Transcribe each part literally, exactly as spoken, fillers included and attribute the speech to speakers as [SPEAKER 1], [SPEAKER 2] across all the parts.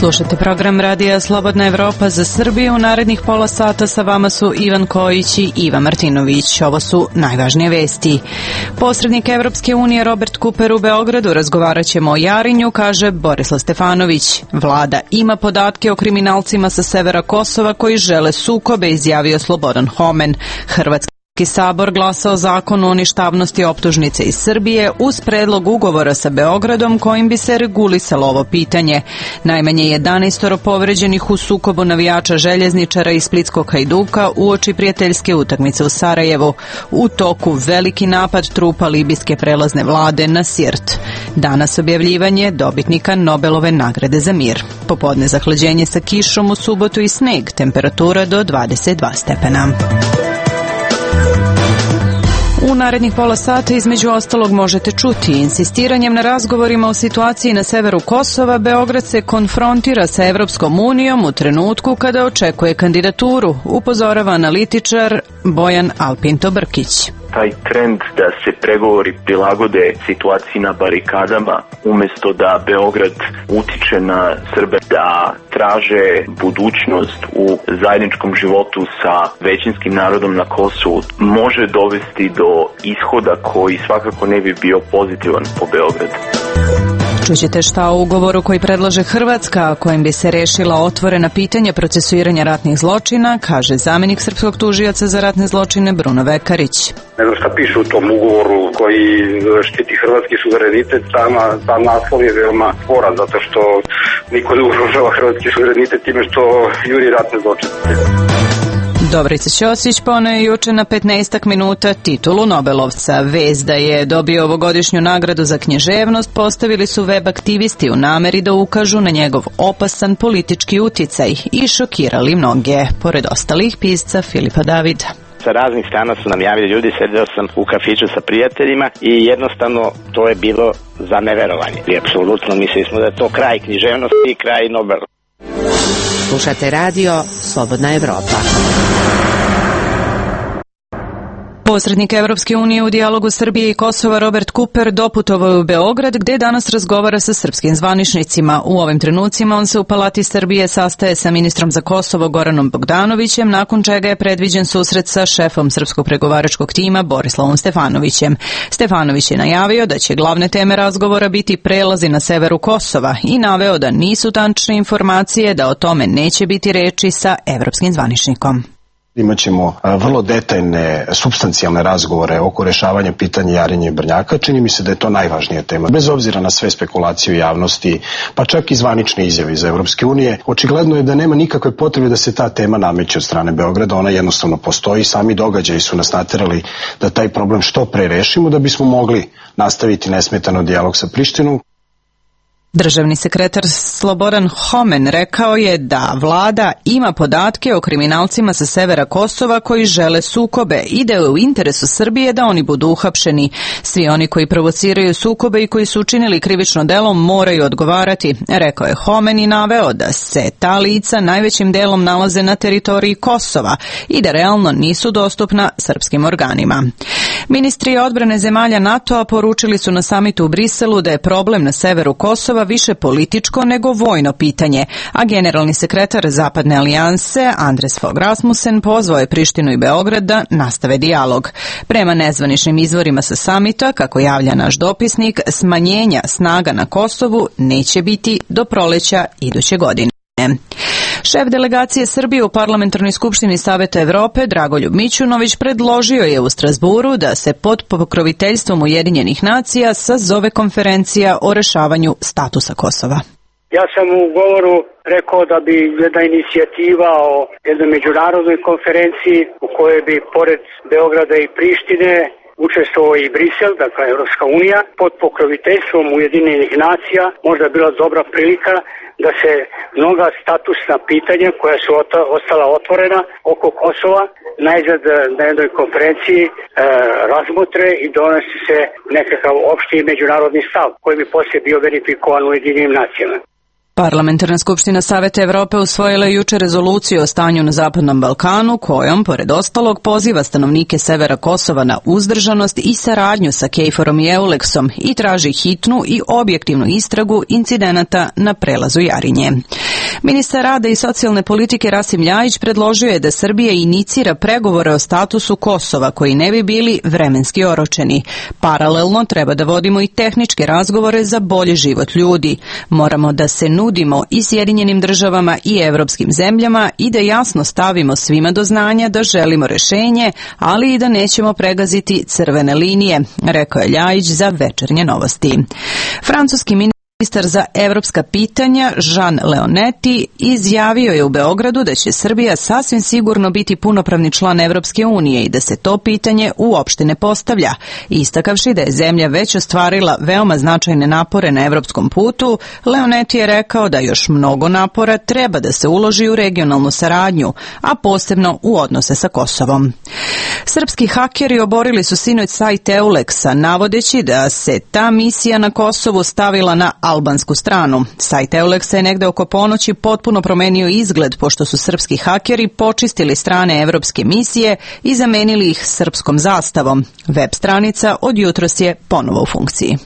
[SPEAKER 1] Slušate program Radija Slobodna Evropa za Srbiju. U narednih pola sata sa vama su Ivan Kojić i Iva Martinović. Ovo su najvažnije vesti. Posrednik Evropske unije Robert Cooper u Beogradu. Razgovarat ćemo o Jarinju, kaže Borislav Stefanović. Vlada ima podatke o kriminalcima sa severa Kosova koji žele sukobe, izjavio Slobodan Homen. Hrvatski Sabor glasao zakon o ništavnosti optužnice iz Srbije uz predlog ugovora sa Beogradom kojim bi se regulisalo ovo pitanje. Najmanje jedanaest povređenih u sukobu navijača željezničara i splitskog Hajduka uoči prijateljske utakmice u Sarajevu. U toku veliki napad trupa libijske prelazne vlade na Sirt. Danas objavljivanje dobitnika Nobelove nagrade za mir. Popodne zahlađenje sa kišom, u subotu i sneg, temperatura do dvadeset dva stepena. U narednih pola sata između ostalog možete čuti: insistiranjem na razgovorima o situaciji na severu Kosova, Beograd se konfrontira sa Evropskom unijom u trenutku kada očekuje kandidaturu, upozorava analitičar Bojan Alpinto Brkić.
[SPEAKER 2] Taj trend da se pregovori prilagode situaciji na barikadama, umjesto da Beograd utiče na Srbe da traže budućnost u zajedničkom životu sa većinskim narodom na Kosovu, može dovesti do ishoda koji svakako ne bi bio pozitivan po Beograd.
[SPEAKER 1] Čućete šta o ugovoru koji predlaže Hrvatska, kojim bi se rešila otvorena pitanja procesuiranja ratnih zločina, kaže zamjenik srpskog tužioca za ratne zločine Bruno Vekarić.
[SPEAKER 3] Ne znam šta piše u tom ugovoru koji štiti hrvatski suverenitet, sama, sam naslov je veoma sporan, zato što niko ne ugrožava hrvatski suverenitet time što juri ratne zločine.
[SPEAKER 1] Dobrica Ćosić poneo je juče na petnaestak minuta titulu Nobelovca. Vest da je dobio ovogodišnju nagradu za književnost postavili su web aktivisti u nameri da ukažu na njegov opasan politički uticaj i šokirali mnoge, pored ostalih pisca Filipa Davida.
[SPEAKER 4] Sa raznih strana su nam javili ljudi, sedeo sam u kafiću sa prijateljima i jednostavno to je bilo za neverovanje. I apsolutno mislili smo da je to kraj književnosti i kraj Nobela.
[SPEAKER 5] Slušate radio Slobodna Evropa.
[SPEAKER 1] Posrednik Evropske unije u dijalogu Srbije i Kosova Robert Cooper doputovao je u Beograd, gde danas razgovara sa srpskim zvaničnicima. U ovim trenucima on se u Palati Srbije sastaje sa ministrom za Kosovo Goranom Bogdanovićem, nakon čega je predviđen susret sa šefom srpskog pregovaračkog tima Borislavom Stefanovićem. Stefanović je najavio da će glavne teme razgovora biti prelazi na severu Kosova i naveo da nisu tačne informacije da o tome neće biti reči sa evropskim zvaničnikom.
[SPEAKER 6] Imaćemo vrlo detaljne, supstancijalne razgovore oko rešavanja pitanja Jarinja i Brnjaka. Čini mi se da je to najvažnija tema. Bez obzira na sve spekulacije u javnosti, pa čak i zvanične izjave iz Evropske unije, očigledno je da nema nikakve potrebe da se ta tema nameće od strane Beograda. Ona jednostavno postoji. Sami događaji su nas naterali da taj problem što pre rešimo, da bismo mogli nastaviti nesmetano dijalog sa Prištinom.
[SPEAKER 1] Državni sekretar Slobodan Homen rekao je da vlada ima podatke o kriminalcima sa severa Kosova koji žele sukobe i da je u interesu Srbije da oni budu uhapšeni. Svi oni koji provociraju sukobe i koji su učinili krivično delo moraju odgovarati, rekao je Homen i naveo da se ta lica najvećim delom nalaze na teritoriji Kosova i da realno nisu dostupna srpskim organima. Ministri odbrane zemalja NATO-a poručili su na samitu u Briselu da je problem na severu Kosova više političko nego vojno pitanje, a generalni sekretar Zapadne alijanse Andres Fogh Rasmussen pozvao je Prištinu i Beograd da nastave dijalog. Prema nezvaničnim izvorima sa samita, kako javlja naš dopisnik, smanjenja snaga na Kosovu neće biti do proleća iduće godine. Šef delegacije Srbije u Parlamentarnoj skupštini Saveta Evrope, Dragoljub Mićunović, predložio je u Strazburu da se pod pokroviteljstvom Ujedinjenih nacija sazove konferencija o rešavanju statusa Kosova.
[SPEAKER 7] Ja sam u govoru rekao da bi jedna inicijativa o jednoj međunarodnoj konferenciji u kojoj bi pored Beograda i Prištine učestvovao i Brisel, dakle Evropska unija, pod pokroviteljstvom Ujedinjenih nacija možda bila dobra prilika da se mnoga statusna pitanja koja su ostala otvorena oko Kosova najzad na jednoj konferenciji e, razmotre i donese se nekakav opšti međunarodni stav koji bi poslije bio verifikovan u Ujedinjenim nacijama.
[SPEAKER 1] Parlamentarna skupština Saveta Evrope usvojila je juče rezoluciju o stanju na Zapadnom Balkanu, kojom, pored ostalog, poziva stanovnike severa Kosova na uzdržanost i saradnju sa Kejforom i Euleksom i traži hitnu i objektivnu istragu incidenata na prelazu Jarinje. Ministar rada i socijalne politike Rasim Ljajić predložio je da Srbija inicira pregovore o statusu Kosova koji ne bi bili vremenski oročeni. Paralelno treba da vodimo i tehničke razgovore za bolji život ljudi. Moramo da se nudimo i Sjedinjenim državama i evropskim zemljama i da jasno stavimo svima do znanja da želimo rešenje, ali i da nećemo pregaziti crvene linije, rekao je Ljajić za Večernje novosti. Francuski ministar za evropska pitanja Jean Leonetti izjavio je u Beogradu da će Srbija sasvim sigurno biti punopravni član Evropske unije i da se to pitanje uopšte ne postavlja, istakavši da je zemlja već ostvarila veoma značajne napore na evropskom putu. Leonetti je rekao da još mnogo napora treba da se uloži u regionalnu saradnju, a posebno u odnose sa Kosovom. Srpski hakeri oborili su sinoć sajt Euleksa, navodeći da se ta misija na Kosovu stavila na albansku stranu. Sajt Euleksa je negde oko ponoći potpuno promenio izgled, pošto su srpski hakeri počistili strane evropske misije i zamenili ih srpskom zastavom. Web stranica od jutros je ponovo u funkciji.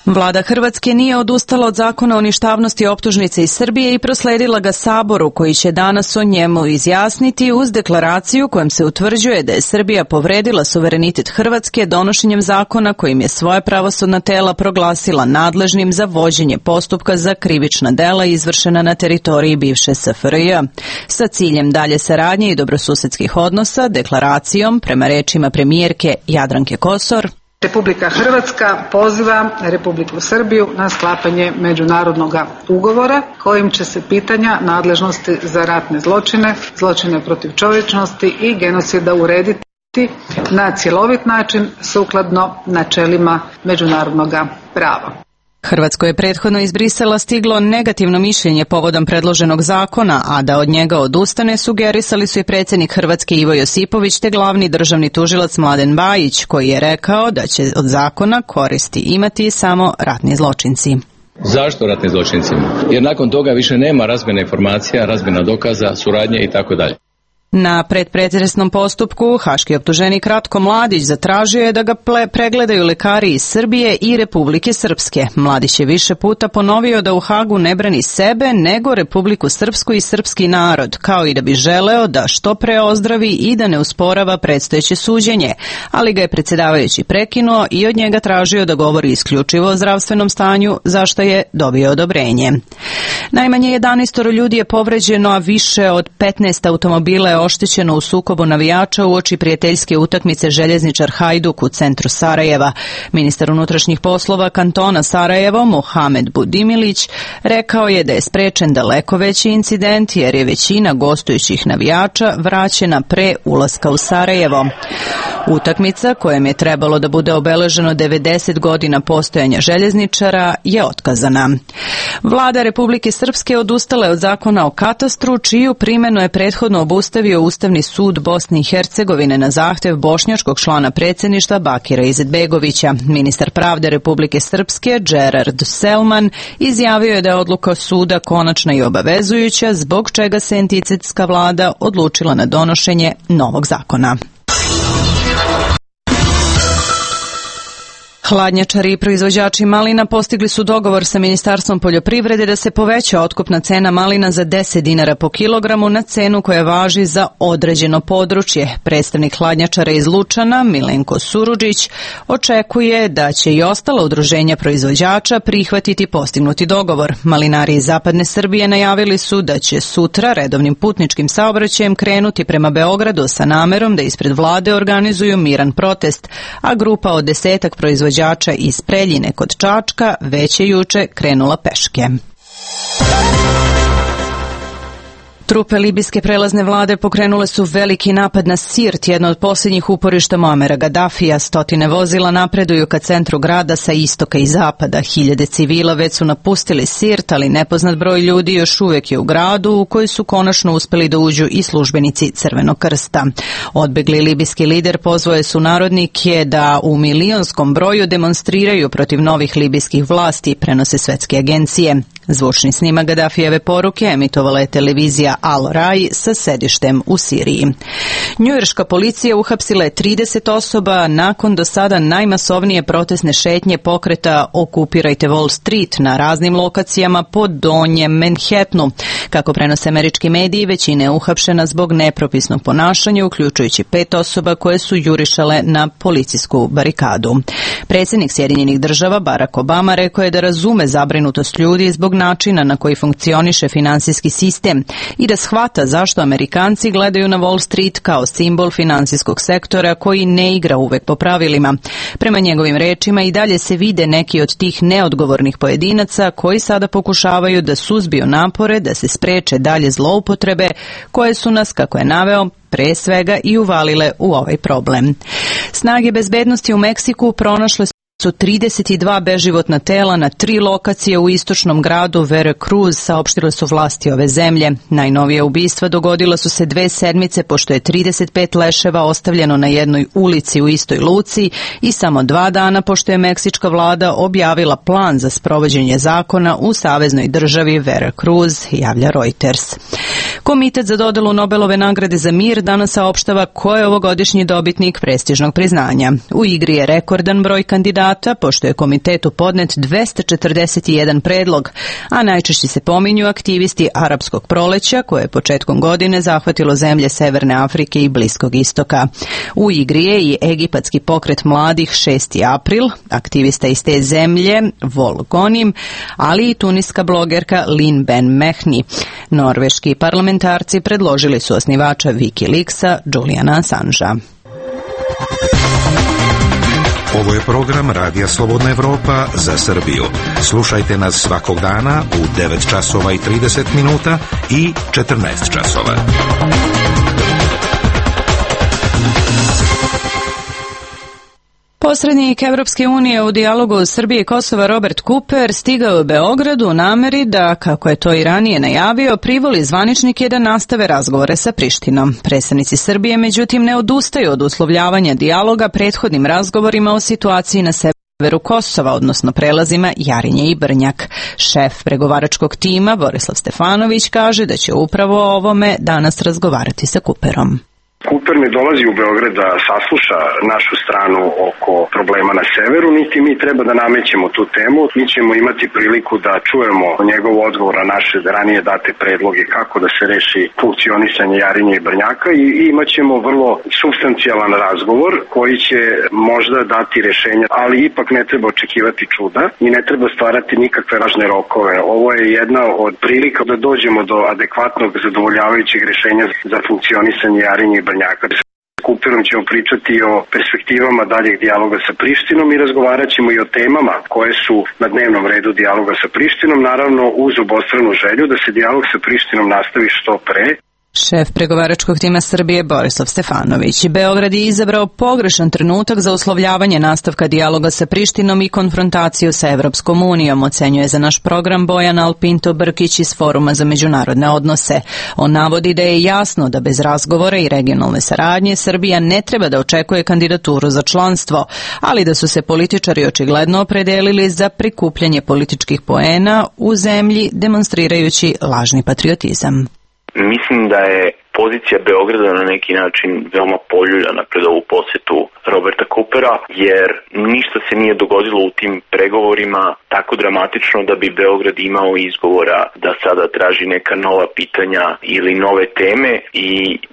[SPEAKER 1] Vlada Hrvatske nije odustala od zakona o ništavnosti optužnice iz Srbije i prosledila ga Saboru, koji će danas o njemu izjasniti uz deklaraciju kojom se utvrđuje da je Srbija povredila suverenitet Hrvatske donošenjem zakona kojim je svoje pravosudna tela proglasila nadležnim za vođenje postupka za krivična dela izvršena na teritoriji bivše S F R J. Sa ciljem dalje saradnje i dobrosusedskih odnosa, deklaracijom, prema rečima premijerke Jadranke Kosor,
[SPEAKER 8] Republika Hrvatska poziva Republiku Srbiju na sklapanje međunarodnog ugovora kojim će se pitanja nadležnosti za ratne zločine, zločine protiv čovječnosti i genocida urediti na cjelovit način sukladno načelima međunarodnog prava.
[SPEAKER 1] Hrvatsko je prethodno iz Brisela stiglo negativno mišljenje povodom predloženog zakona, a da od njega odustane sugerisali su i predsjednik Hrvatske Ivo Josipović te glavni državni tužilac Mladen Bajić, koji je rekao da će od zakona koristi imati samo ratni zločinci.
[SPEAKER 9] Zašto ratni zločinci? Jer nakon toga više nema razmjena informacija, razmjena dokaza, suradnje i tako dalje.
[SPEAKER 1] Na predpretresnom postupku haški optuženik Ratko Mladić zatražio je da ga pregledaju lekari iz Srbije i Republike Srpske. Mladić je više puta ponovio da u Hagu ne brani sebe, nego Republiku Srpsku i srpski narod, kao i da bi želeo da što pre ozdravi i da ne usporava predstojeće suđenje, ali ga je predsjedavajući prekinuo i od njega tražio da govori isključivo o zdravstvenom stanju, za što je dobio odobrenje. Najmanje jedanaest ljudi je povređeno, a više od petnaest automobila je oštećeno u sukobu navijača uoči prijateljske utakmice Željezničar Hajduk u centru Sarajeva. Ministar unutrašnjih poslova kantona Sarajevo, Mohamed Budimilić, rekao je da je sprečen daleko veći incident jer je većina gostujućih navijača vraćena pre ulaska u Sarajevo. Utakmica, kojem je trebalo da bude obeleženo devedeset godina postojanja željezničara, je otkazana. Vlada Republike Srpske odustala je od zakona o katastru, čiju primjenu je prethodno obustavio Ustavni sud Bosne i Hercegovine na zahtev bošnjačkog člana predsjedništva Bakira Izetbegovića. Ministar pravde Republike Srpske, Gerard Selman, izjavio je da je odluka suda konačna i obavezujuća, zbog čega se entitetska vlada odlučila na donošenje novog zakona. Hladnjačari i proizvođači malina postigli su dogovor sa Ministarstvom poljoprivrede da se poveća otkupna cena malina za deset dinara po kilogramu na cenu koja važi za određeno područje. Predstavnik hladnjačara iz Lučana, Milenko Surudžić, očekuje da će i ostala udruženja proizvođača prihvatiti postignuti dogovor. Malinari iz zapadne Srbije najavili su da će sutra redovnim putničkim saobraćajem krenuti prema Beogradu sa namerom da ispred vlade organizuju miran protest, a grupa od desetak proizvođača iz Preljine kod Čačka već je juče krenula peške. Trupe libijske prelazne vlade pokrenule su veliki napad na Sirt, jedno od posljednjih uporišta Muamera Gaddafija. Stotine vozila napreduju ka centru grada sa istoka i zapada. Hiljade civila već su napustili Sirt, ali nepoznat broj ljudi još uvijek je u gradu, u koji su konačno uspeli da uđu i službenici Crvenog krsta. Odbegli libijski lider pozvao je sunarodnike da u milionskom broju demonstriraju protiv novih libijskih vlasti, prenose svetske agencije. Zvučni snimak Gadafijeve poruke emitovala je televizija Al Rai sa sedištem u Siriji. Njujorška policija uhapsila je trideset osoba nakon do sada najmasovnije protestne šetnje pokreta Okupirajte Wall Street na raznim lokacijama po donjem Manhattanu. Kako prenose američki mediji, većina je uhapšena zbog nepropisnog ponašanja, uključujući pet osoba koje su jurišale na policijsku barikadu. Predsjednik Sjedinjenih država Barack Obama rekao je da razume zabrinutost ljudi zbog načina na koji funkcioniše finansijski sistem i da shvata zašto Amerikanci gledaju na Wall Street kao simbol finansijskog sektora koji ne igra uvek po pravilima. Prema njegovim rečima i dalje se vide neki od tih neodgovornih pojedinaca koji sada pokušavaju da suzbiju napore da se spreče dalje zloupotrebe koje su nas, kako je naveo, pre svega i uvalile u ovaj problem. Snage bezbednosti u Meksiku pronašle su trideset dva beživotna tela na tri lokacije u istočnom gradu Veracruz, saopštile su vlasti ove zemlje. Najnovija ubistva dogodila su se dve sedmice pošto je trideset pet leševa ostavljeno na jednoj ulici u istoj luci i samo dva dana pošto je meksička vlada objavila plan za sprovođenje zakona u saveznoj državi Veracruz, javlja Reuters. Komitet za dodelu Nobelove nagrade za mir danas saopštava ko je ovogodišnji dobitnik prestižnog priznanja. U igri je rekordan broj kandidata, pošto je komitetu podnet dvesta četrdeset jedan predlog, a najčešće se pominju aktivisti Arapskog proleća, koje je početkom godine zahvatilo zemlje Severne Afrike i Bliskog istoka. U igri je i egipatski pokret mladih šesti april, aktivista iz te zemlje Vol Gonim, ali i tuniska blogerka Lin Ben Mehni. Norveški parlamentarci predložili su osnivača Wikileaksa Juliana Assangea.
[SPEAKER 10] Ovo je program Radija Slobodna Evropa za Srbiju. Slušajte nas svakog dana u devet časova i trideset minuta i četrnaest časova.
[SPEAKER 1] Posrednik Evropske unije u dijalogu Srbije i Kosova Robert Cooper stigao u Beogradu u nameri da, kako je to i ranije najavio, privoli zvaničnike da nastave razgovore sa Prištinom. Predstavnici Srbije, međutim, ne odustaju od uslovljavanja dijaloga prethodnim razgovorima o situaciji na severu Kosova, odnosno prelazima Jarinje i Brnjak. Šef pregovaračkog tima Borislav Stefanović kaže da će upravo o ovome danas razgovarati sa Cooperom.
[SPEAKER 3] Cooper ne dolazi u Beograd da sasluša našu stranu oko problema na severu, niti mi treba da namećemo tu temu. Mi ćemo imati priliku da čujemo njegov odgovor na naše ranije date predloge kako da se reši funkcionisanje Jarinje i Brnjaka i imat ćemo vrlo supstancijalan razgovor koji će možda dati rešenja, ali ipak ne treba očekivati čuda i ne treba stvarati nikakve važne rokove. Ovo je jedna od prilika da dođemo do adekvatnog zadovoljavajućeg rešenja za funkcionisanje Jarinje i Brnjaka. S Cooperom ćemo pričati o perspektivama daljeg dijaloga sa Prištinom i razgovarat ćemo i o temama koje su na dnevnom redu dijaloga sa Prištinom, naravno uz obostranu želju da se dijalog sa Prištinom nastavi što pre.
[SPEAKER 1] Šef pregovaračkog tima Srbije Borislav Stefanović. Beograd je izabrao pogrešan trenutak za uslovljavanje nastavka dijaloga sa Prištinom i konfrontaciju sa Evropskom unijom, ocenjuje za naš program Bojan Alpinto Brkić iz Foruma za međunarodne odnose. On navodi da je jasno da bez razgovora i regionalne saradnje Srbija ne treba da očekuje kandidaturu za članstvo, ali da su se političari očigledno opredelili za prikupljanje političkih poena u zemlji, demonstrirajući lažni patriotizam.
[SPEAKER 2] Mislim da je pozicija Beograda na neki način veoma poljuljana pred ovu posjetu Roberta Coopera, jer ništa se nije dogodilo u tim pregovorima tako dramatično da bi Beograd imao izgovora da sada traži neka nova pitanja ili nove teme i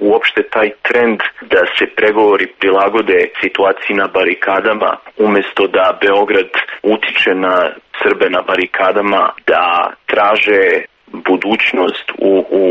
[SPEAKER 2] uopšte taj trend da se pregovori prilagode situaciji na barikadama umjesto da Beograd utiče na Srbe na barikadama, da traže budućnost u, u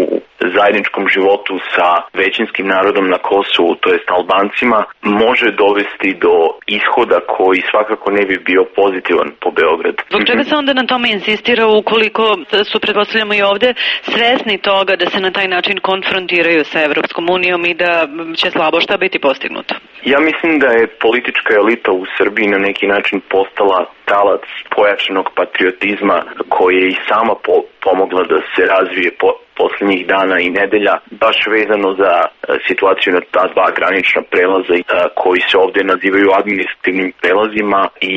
[SPEAKER 2] zajedničkom životu sa većinskim narodom na Kosovu, to jest Albancima, može dovesti do ishoda koji svakako ne bi bio pozitivan po Beograd.
[SPEAKER 11] Zbog čega se onda na tome insistira ukoliko su, pretpostavljamo i ovdje, svesni toga da se na taj način konfrontiraju sa Evropskom unijom i da će slabo šta biti postignuto?
[SPEAKER 2] Ja mislim da je politička elita u Srbiji na neki način postala talac pojačanog patriotizma koji je i sama po, pomogla da se razvije po, posljednjih dana i nedelja, baš vezano za a, situaciju na ta dva granična prelaza a, koji se ovdje nazivaju administrativnim prelazima i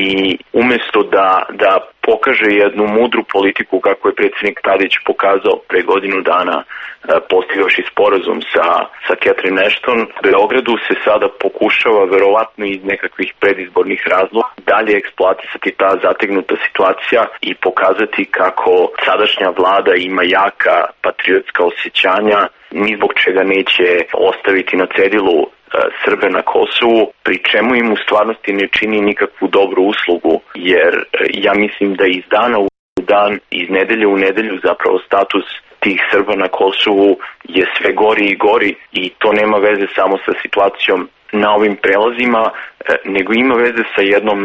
[SPEAKER 2] umjesto da, da pokaže jednu mudru politiku kako je predsjednik Tadić pokazao pre godinu dana postigavši sporazum sa, sa Catherine Ashton. Beogradu se sada pokušava verovatno iz nekakvih predizbornih razloga dalje eksploatisati ta zategnuta situacija i pokazati kako sadašnja vlada ima jaka patriotska osjećanja, ni zbog čega neće ostaviti na cedilu Srbe na Kosovu, pri čemu im u stvarnosti ne čini nikakvu dobru uslugu, jer ja mislim da iz dana u dan, iz nedelje u nedelju zapravo status tih Srba na Kosovu je sve gori i gori i to nema veze samo sa situacijom na ovim prelazima, nego ima veze sa jednom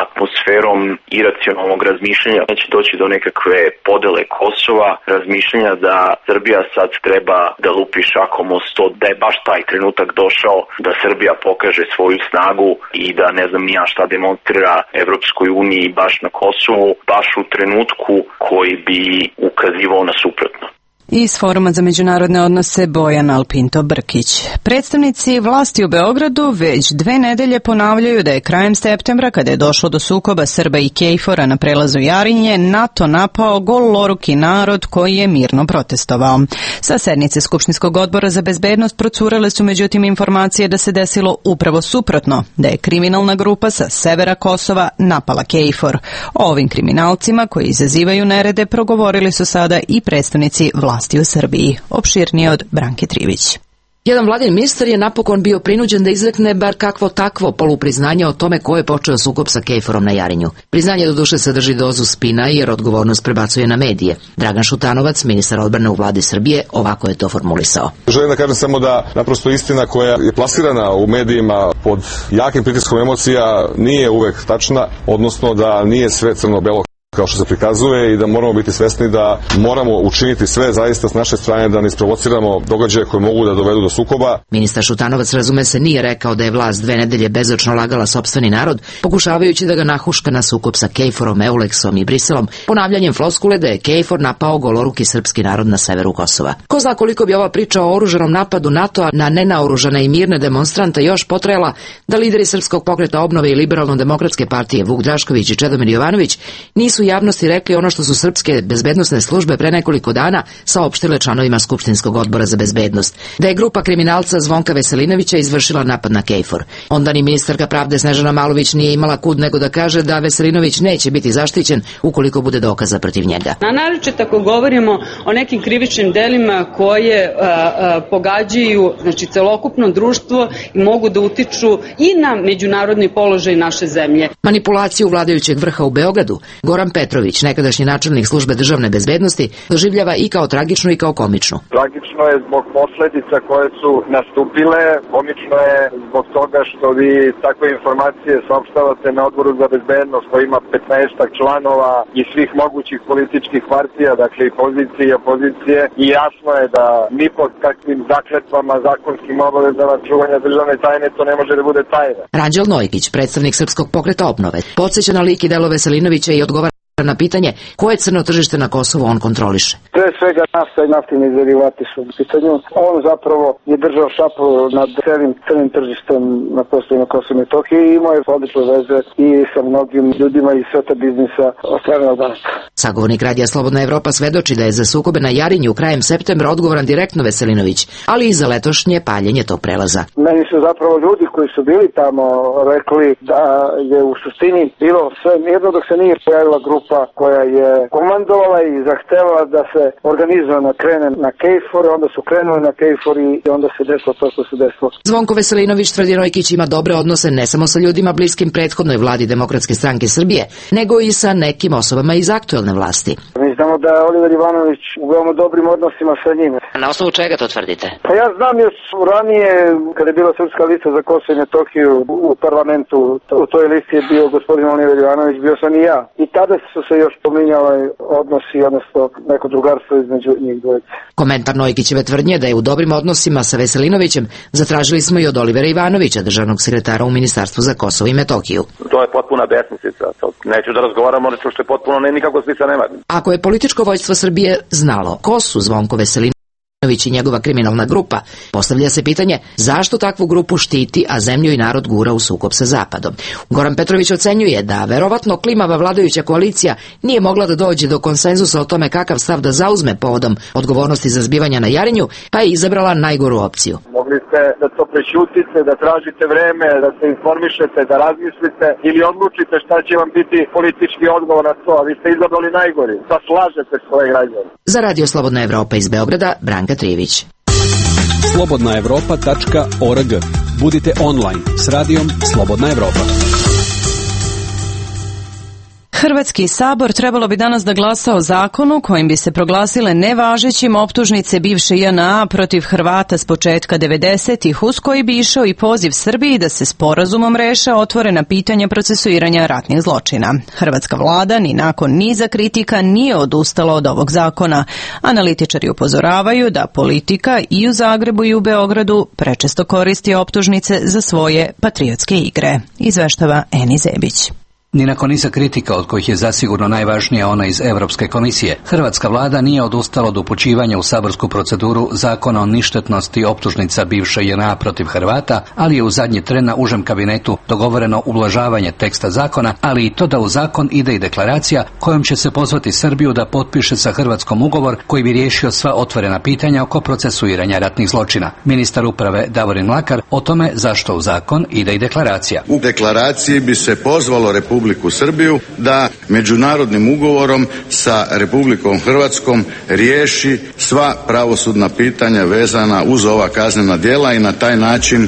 [SPEAKER 2] atmosferom iracionalnog razmišljanja. Neće doći do nekakve podele Kosova, razmišljanja da Srbija sad treba da lupi šakom o sto, da je baš taj trenutak došao da Srbija pokaže svoju snagu i da ne znam ni ja šta demonstrira Evropskoj uniji baš na Kosovu, baš u trenutku koji bi ukazivao na suprotno.
[SPEAKER 1] Iz Foruma za međunarodne odnose Bojan Alpinto Brkić. Predstavnici vlasti u Beogradu već dve nedelje ponavljaju da je krajem septembra, kada je došlo do sukoba Srba i Kejfora na prelazu Jarinje, NATO napao goloruki narod koji je mirno protestovao. Sa sednice Skupštinskog odbora za bezbednost procurele su međutim informacije da se desilo upravo suprotno, da je kriminalna grupa sa severa Kosova napala Kejfor. O ovim kriminalcima koji izazivaju nerede progovorili su sada i predstavnici vlasti u Srbiji. Opširnije od Branke Trivić.
[SPEAKER 5] Jedan vladin ministar je napokon bio prinuđen da izrekne bar kakvo takvo polupriznanje o tome ko je počeo sukob sa Kejforom na Jarinju. Priznanje do duše sadrži dozu spina jer odgovornost prebacuje na medije. Dragan Šutanovac, ministar odbrane u vladi Srbije, ovako je to formulisao.
[SPEAKER 12] Želim da kažem samo da naprosto istina koja je plasirana u medijima pod jakim pritiskom emocija nije uvek tačna, odnosno da nije sve crno-belo kao što se prikazuje i da moramo biti svesni da moramo učiniti sve zaista s naše strane da ne isprovociramo događaje koje mogu da dovedu do sukoba.
[SPEAKER 5] Ministar Šutanovac, razume se, nije rekao da je vlast dve nedelje bezočno lagala sopstveni narod, pokušavajući da ga nahuška na sukob sa Kejforom, Euleksom i Briselom, ponavljanjem floskule da je Kejfor napao goloruki srpski narod na severu Kosova. Ko zna koliko bi ova priča o oružanom napadu NATO-a na nenaoružane i mirne demonstrante još potrajala da lideri Srpskog pokreta obnove i Liberalno-demokratske partije Vuk Drašković i Čedomir Jovanović nisu javnosti rekli ono što su srpske bezbednosne službe pre nekoliko dana saopštile članovima Skupštinskog odbora za bezbednost, da je grupa kriminalca Zvonka Veselinovića izvršila napad na Kejfor. Onda ni ministarka pravde Snežana Malović nije imala kud nego da kaže da Veselinović neće biti zaštićen ukoliko bude dokaza protiv njega.
[SPEAKER 13] A naročito ako govorimo o nekim krivičnim delima koje a, a, pogađaju znači celokupno društvo i mogu da utiču i na međunarodni položaj naše zemlje.
[SPEAKER 5] Manipulaciju vladajućeg vrha u Beogradu Goran Petrović, nekadašnji načelnik službe državne bezbednosti, doživljava i kao tragičnu i kao komičnu.
[SPEAKER 14] Tragično je zbog posledica koje su nastupile, komično je zbog toga što vi takve informacije saopštavate na odboru za bezbednost koji ima petnaestak članova i svih mogućih političkih partija, dakle i pozicije i opozicije, i jasno je da ni pod kakvim zakletvama, zakonskim obavezama čuvanja državne tajne to ne može da bude tajna.
[SPEAKER 5] Ranđel Nojkić, predstavnik Srpskog pokreta obnove, podsjeća na lik i delo Veselinovića i odgovara na pitanje koje crno tržište na Kosovu on kontroliše.
[SPEAKER 15] Pre svega nafta i naftini derivati su u pitanju. On zapravo je držao šapu nad celim crnim tržištem na prostoru na Kosovu i Metohiji i imao je odlične veze i sa mnogim ljudima iz sveta biznisa od strane Albanaca.
[SPEAKER 5] Sagovornik Radija Slobodna Evropa svedoči da je za sukobe na Jarinju krajem septembra odgovoran direktno Veselinović, ali i za letošnje paljenje tog prelaza.
[SPEAKER 15] Meni su zapravo ljudi koji su bili tamo rekli da je u suštini bilo sve mirno dok se nije pojavila grupa koja je komandovala i zahtevala da se organizovano krene na Kejfor, onda su krenuli na Kejfor i onda se desilo to što se desilo.
[SPEAKER 5] Zvonko Veselinović, tvrdi Nojkić, ima dobre odnose ne samo sa ljudima bliskim prethodnoj vladi Demokratske stranke Srbije, nego i sa nekim osobama iz aktuelne vlasti.
[SPEAKER 15] Mi znamo da je Oliver Ivanović u veoma dobrim odnosima sa njime.
[SPEAKER 5] Na osnovu čega to tvrdite?
[SPEAKER 15] Pa ja znam još ranije, kada je bila Srpska lista za Kosovo i Metohiju u parlamentu, u toj listi je bio gospodin Oliver Ivanović, bio sam i ja. I tada su se još pominjali odnosi, odnosno neko drugarstvo između njih dvojice.
[SPEAKER 5] Komentar Nojkićeve tvrdnje da je u dobrim odnosima sa Veselinovićem zatražili smo i od Olivera Ivanovića, državnog sekretara u Ministarstvu za Kosovo i Metohiju.
[SPEAKER 16] To je potpuna besmislica. Neću da razgovaramo o nečemu što je potpuno ne nikako smisla nema.
[SPEAKER 5] Ako je političko vođstvo Srbije znalo ko su Zvonko Veselinović i njegova kriminalna grupa, postavlja se pitanje zašto takvu grupu štiti, a zemlju i narod gura u sukob sa Zapadom. Goran Petrović ocenjuje da verovatno klimava vladajuća koalicija nije mogla da dođe do konsenzusa o tome kakav stav da zauzme povodom odgovornosti za zbivanja na Jarinju, pa je izabrala najgoru opciju.
[SPEAKER 14] Mogli ste da to prešutite, da tražite vreme, da se informišete, da razmislite ili odlučite šta će vam biti politički odgovor na to, a vi ste izabrali najgori. Pa slažete svoje građane.
[SPEAKER 5] Za Radio Slobodna Evropa iz Beograda, Branka Trivić.
[SPEAKER 17] slobodna evropa tačka org. Budite online s radijom Slobodna Evropa.
[SPEAKER 1] Hrvatski sabor trebalo bi danas da glasa o zakonu kojim bi se proglasile nevažećim optužnice bivše J N A protiv Hrvata s početka devedesetih, uz koji bi išao i poziv Srbiji da se sporazumom reše otvorena pitanja procesuiranja ratnih zločina. Hrvatska vlada ni nakon niza kritika nije odustala od ovog zakona. Analitičari upozoravaju da politika i u Zagrebu i u Beogradu prečesto koristi optužnice za svoje patriotske igre. Izveštava Eni Zebić.
[SPEAKER 18] Ni nakon niza kritika, od kojih je zasigurno najvažnija ona iz Europske komisije, hrvatska vlada nije odustala od upućivanja u saborsku proceduru zakona o ništetnosti optužnica bivše J N A protiv Hrvata, ali je u zadnji tren na užem kabinetu dogovoreno ublažavanje teksta zakona, ali i to da u zakon ide i deklaracija kojom će se pozvati Srbiju da potpiše sa Hrvatskom ugovor koji bi riješio sva otvorena pitanja oko procesuiranja ratnih zločina. Ministar uprave Davorin Mlakar o tome zašto u zakon ide i deklaracija.
[SPEAKER 19] U deklaraciji bi se pozvalo Republiku Republiku Srbiju da međunarodnim ugovorom sa Republikom Hrvatskom riješi sva pravosudna pitanja vezana uz ova kaznena djela i na taj način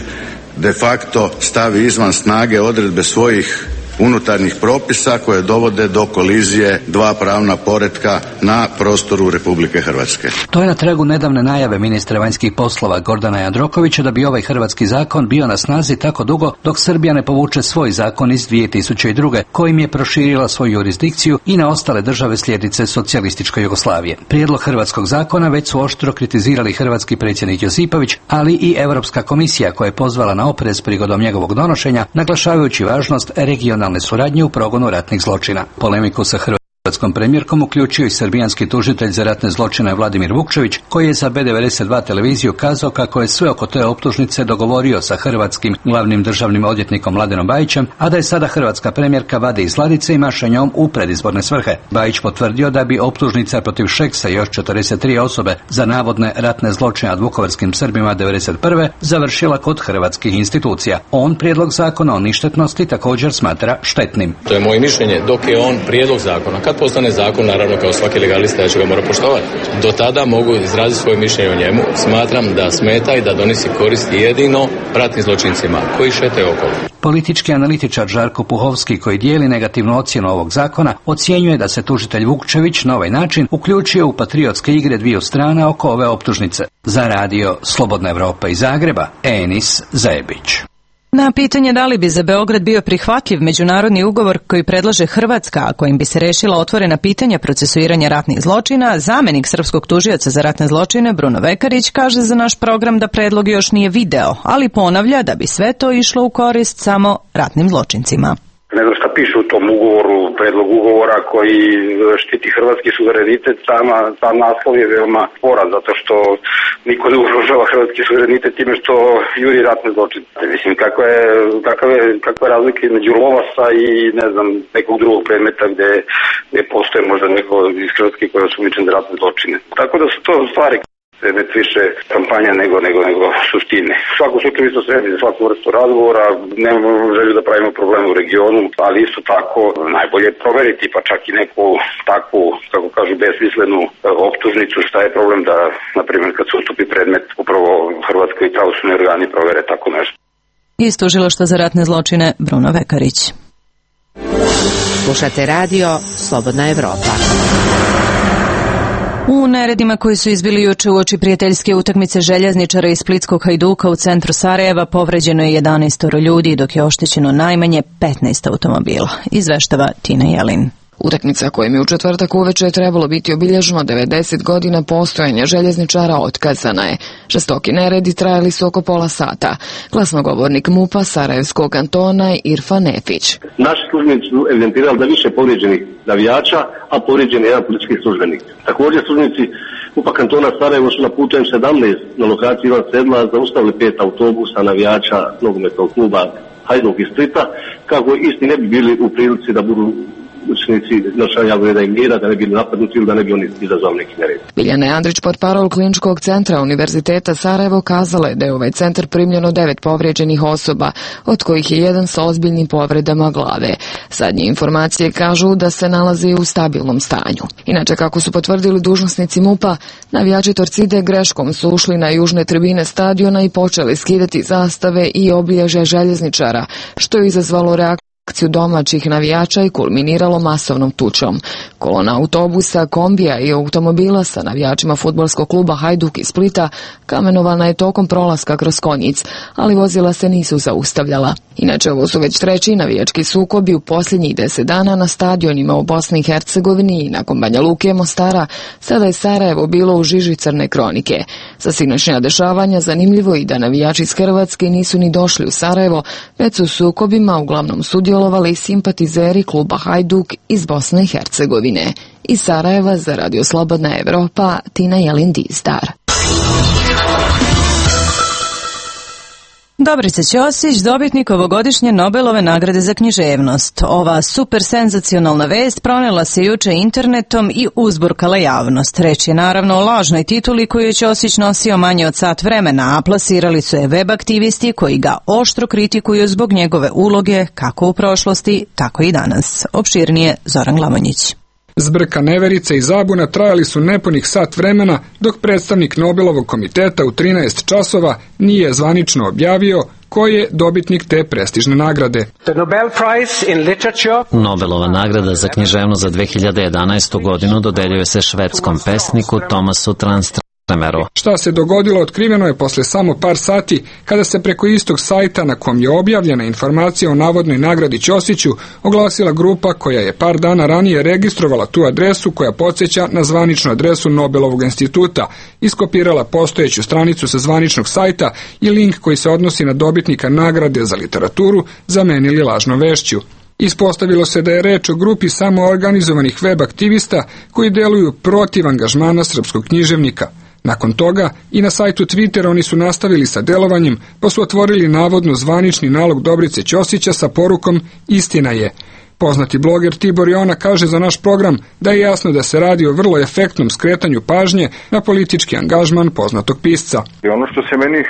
[SPEAKER 19] de facto stavi izvan snage odredbe svojih unutarnjih propisa koje dovode do kolizije dva pravna poretka na prostoru Republike Hrvatske.
[SPEAKER 18] To je na tragu nedavne najave ministra vanjskih poslova Gordana Jandrokovića da bi ovaj hrvatski zakon bio na snazi tako dugo dok Srbija ne povuče svoj zakon iz dvije tisuće druge kojim je proširila svoju jurisdikciju i na ostale države slijednice socijalističke Jugoslavije. Prijedlog hrvatskog zakona već su oštro kritizirali hrvatski predsjednik Josipović, ali i Europska komisija koja je pozvala na oprez prigodom njegovog donošenja, naglašavajući važnost regionalne suradnje u progonu ratnih zločina. Polemiku sa hrvatskom premijerkom uključio i srbijanski tužitelj za ratne zločine Vladimir Vukčević, koji je za B devedeset dva televiziju kazao kako je sve oko te optužnice dogovorio sa hrvatskim glavnim državnim odvjetnikom Mladenom Bajićem, a da je sada hrvatska premijerka vadi iz ladice i maša njom u predizborne svrhe. Bajić potvrdio da bi optužnica protiv Šeksa i još četrdeset tri osobe za navodne ratne zločine nad vukovarskim Srbima devedeset prve završila kod hrvatskih institucija. On prijedlog zakona o ništetnosti također smatra štetnim.
[SPEAKER 9] To je moje mišljenje dok je on prijedlog zakona. Kad postane zakon, naravno kao svaki legalista ja ću ga mora poštovati. Do tada mogu izraziti svoje mišljenje o njemu. Smatram da smeta i da donosi koristi jedino ratnim zločincima koji šetaju okolo.
[SPEAKER 18] Politički analitičar Žarko Puhovski, koji dijeli negativnu ocjenu ovog zakona, ocjenjuje da se tužitelj Vukčević na ovaj način uključio u patriotske igre dviju strana oko ove optužnice. Za radio Slobodna Evropa iz Zagreba, Enis Zebić.
[SPEAKER 1] Na pitanje da li bi za Beograd bio prihvatljiv međunarodni ugovor koji predlaže Hrvatska, a kojim bi se rešila otvorena pitanja procesuiranja ratnih zločina, zamenik srpskog tužioca za ratne zločine Bruno Vekarić kaže za naš program da predlog još nije video, ali ponavlja da bi sve to išlo u korist samo ratnim zločincima.
[SPEAKER 3] Ne znam šta piše u tom ugovoru, predlog ugovora koji štiti hrvatski suverenitet, sama, sam naslov je veoma sporan, zato što niko ne ugrožava hrvatski suverenitet time što juri ratne zločine. Mislim, kakva je, kakva je, kakva je razlika između Lovasa i, ne znam, nekog drugog predmeta gde, gde postoje možda neko iz Hrvatske koja je osumnjičen za ratne zločine. Tako da su to stvari ne više kampanja nego, nego, nego suštine. U svakom slučaju isto sredi za svaku vrstu razgovora, nemamo želju da pravimo probleme u regionu, ali isto tako najbolje je proveriti, pa čak i neku takvu, kako kažu, besmislenu optužnicu, šta je problem da, na primjer, kad se ustupi predmet, upravo Hrvatskoj i pravosudni organi provere tako nešto.
[SPEAKER 1] Iz Tužilaštva za ratne zločine Bruno Vekarić.
[SPEAKER 5] Slušate radio Slobodna Evropa.
[SPEAKER 1] U neredima koji su izbili juče uoči prijateljske utakmice željezničara iz splitskog Hajduka u centru Sarajeva povređeno je jedanaest ljudi, dok je oštećeno najmanje petnaest automobila. Izveštava Tina Jelin.
[SPEAKER 20] Utakmica kojim je u četvrtak uveče trebalo biti obilježeno devedeset godina postojanja željezničara otkazana je. Žestoki neredi trajali su oko pola sata. Glasnogovornik MUP-a Sarajevskog kantona je Irfan Nefić.
[SPEAKER 21] Naši službenici su evidentirali da više povrijeđenih navijača, a povrijeđen je jedan politički službenik. Također službenici MUP-a kantona Sarajevo su na putu M sedamnaest na lokaciji Ivan Sedla zaustavili pet autobusa navijača nogometnog kluba Hajduk iz Splita, kako isti ne bi bili u prilici da budu učenici nošanja reda i mira, da ne bi napadnuti ili da ne bi oni izazvali neki nered.
[SPEAKER 20] Biljana Andrić, portparol Kliničkog centra Univerziteta Sarajevo, kazala je da je u ovaj centar primljeno devet povrijeđenih osoba, od kojih je jedan sa ozbiljnim povredama glave. Zadnje informacije kažu da se nalazi u stabilnom stanju. Inače, kako su potvrdili dužnosnici MUP-a, navijači Torcide greškom su ušli na južne tribine stadiona i počeli skidati zastave i obilježja željezničara, što je izazvalo reakciju akciju domaćih navijača i kulminiralo masovnom tučom. Kolona autobusa, kombija i automobila sa navijačima fudbalskog kluba Hajduk iz Splita kamenovana je tokom prolaska kroz Konjic, ali vozila se nisu zaustavljala. Inače, ovo su već treći navijački sukobi u posljednjih deset dana na stadionima u Bosni i Hercegovini i nakon Banja Luke i Mostara. Sada je Sarajevo bilo u žiži crne kronike. Za sinoćnja dešavanja zanimljivo i da navijači iz Hrvatske nisu ni došli u Sarajevo, već su u sukobima uglavnom sudjelovali simpatizeri kluba Hajduk iz Bosne i Hercegovine. Iz Sarajeva za Radio Slobodna Evropa, Tina Jelin Dizdar.
[SPEAKER 1] Dobrica Ćosić, dobitnik ovogodišnje Nobelove nagrade za književnost. Ova super senzacionalna vest pronela se juče internetom i uzburkala javnost. Reč je naravno o lažnoj tituli koju je Ćosić nosio manje od sat vremena, a plasirali su je web aktivisti koji ga oštro kritikuju zbog njegove uloge kako u prošlosti, tako i danas. Opširnije Zoran Glamonjić.
[SPEAKER 22] Zbrka, neverice i zabuna trajali su nepunih sat vremena, dok predstavnik Nobelovog komiteta u trinaest časova nije zvanično objavio ko je dobitnik te prestižne nagrade.
[SPEAKER 23] Nobelova nagrada za književnost za dve hiljade jedanaestu godinu dodeljuje se švedskom pesniku Tomasu Tranströmeru.
[SPEAKER 22] Šta se dogodilo otkriveno je posle samo par sati, kada se preko istog sajta na kom je objavljena informacija o navodnoj nagradi Ćosiću oglasila grupa koja je par dana ranije registrovala tu adresu koja podsjeća na zvaničnu adresu Nobelovog instituta, iskopirala postojeću stranicu sa zvaničnog sajta i link koji se odnosi na dobitnika nagrade za literaturu zamenili lažnom vešću. Ispostavilo se da je reč o grupi samoorganizovanih web aktivista koji deluju protiv angažmana srpskog književnika. Nakon toga i na sajtu Twittera oni su nastavili sa delovanjem, pa su otvorili navodno zvanični nalog Dobrice Ćosića sa porukom "Istina je". Poznati bloger Tibor Jona kaže za naš program da je jasno da se radi o vrlo efektnom skretanju pažnje na politički angažman poznatog pisca.
[SPEAKER 3] I ono što se meni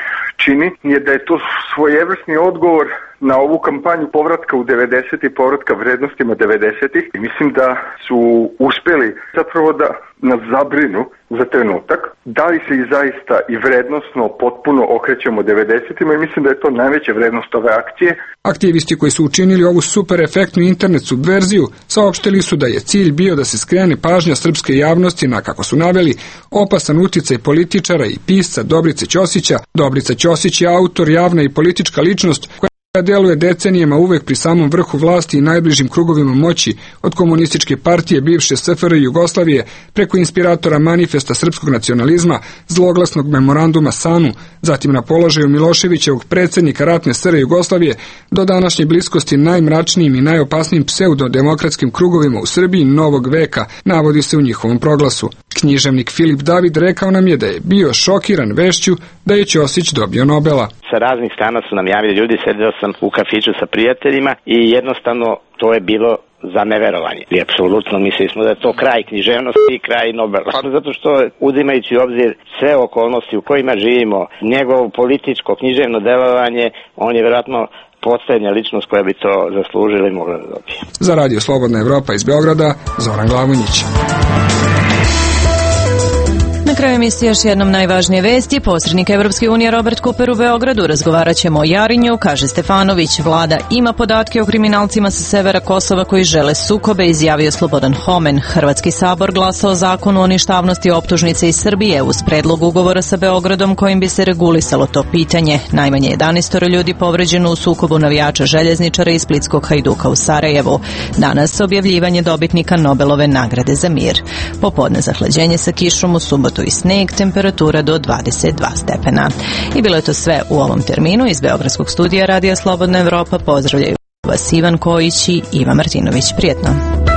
[SPEAKER 3] čini je da je to svojevrsni odgovor na ovu kampanju povratka u devedesete i povratka vrednostima devedesetih. I mislim da su uspjeli zapravo da nas zabrinu za trenutak. Da li se i zaista i vrednostno potpuno okrećemo devedesetima i mislim da je to najveća vrednost ove akcije.
[SPEAKER 22] Aktivisti koji su učinili ovu super efektnu internet subverziju saopštili su da je cilj bio da se skrene pažnja srpske javnosti na, kako su naveli, opasan uticaj političara i pisca Dobrice Ćosića. Dobrica Ćosić je autor, javna i politička ličnost koja koja deluje decenijama uvek pri samom vrhu vlasti i najbližim krugovima moći, od komunističke partije bivše S F R Jugoslavije preko inspiratora manifesta srpskog nacionalizma, zloglasnog memoranduma SANU, zatim na položaju Miloševićevog predsjednika ratne S R Jugoslavije, do današnje bliskosti najmračnijim i najopasnijim pseudodemokratskim krugovima u Srbiji novog veka, navodi se u njihovom proglasu. Književnik Filip David rekao nam je da je bio šokiran vešću da je Ćosić dobio Nobela.
[SPEAKER 4] Sa raznih strana su nam javili ljudi, sedeo sam u kafiću sa prijateljima i jednostavno to je bilo za neverovanje. I apsolutno mislili smo da je to kraj književnosti i kraj Nobela. Zato što uzimajući u obzir sve okolnosti u kojima živimo, njegovo političko književno delovanje, on je vjerojatno posljednja ličnost koja bi to zaslužila i mogla da dobije.
[SPEAKER 22] Za Radio Slobodna Evropa iz Beograda, Zoran Glavonjić.
[SPEAKER 1] Na kraju emisije još jednom najvažnije vesti. Posrednik Evropske unije Robert Cooper u Beogradu. Razgovarat ćemo o Jarinju, kaže Stefanović. Vlada ima podatke o kriminalcima sa severa Kosova koji žele sukobe, izjavio Slobodan Homen. Hrvatski sabor glasao o zakonu o ništavnosti optužnice iz Srbije uz predlog ugovora sa Beogradom kojim bi se regulisalo to pitanje. Najmanje jedanaest ljudi povređeno u sukobu navijača željezničara i splitskog Hajduka u Sarajevu. Danas objavljivanje dobitnika Nobelove nagrade za mir. Popodne zahlađenje sa kišom, u subotu i sneg, temperatura do dvadeset dva stepena. I bilo je to sve u ovom terminu. Iz Beogradskog studija Radija Slobodna Evropa pozdravljaju vas Ivan Kojić i Iva Martinović. Prijetno.